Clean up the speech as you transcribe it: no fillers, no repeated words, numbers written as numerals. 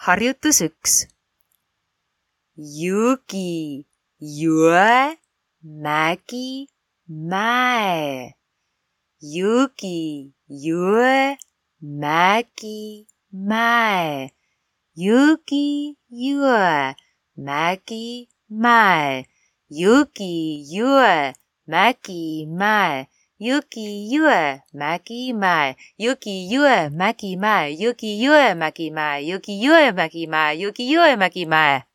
harjutus 1. Jõgi, jõe, mägi, mäe. Jõgi, jõe, mägi, mäe. Jõgi, jõe, mägi, mäe. Jõgi, jõe, mägi, mäe. Jõgi, jõe, mägi, mäe. Jõgi, jõe, mägi, mäe. Jõgi, jõe, mägi, mäe. Jõgi, jõe, mägi, mäe. Jõgi, jõe, mägi, mäe.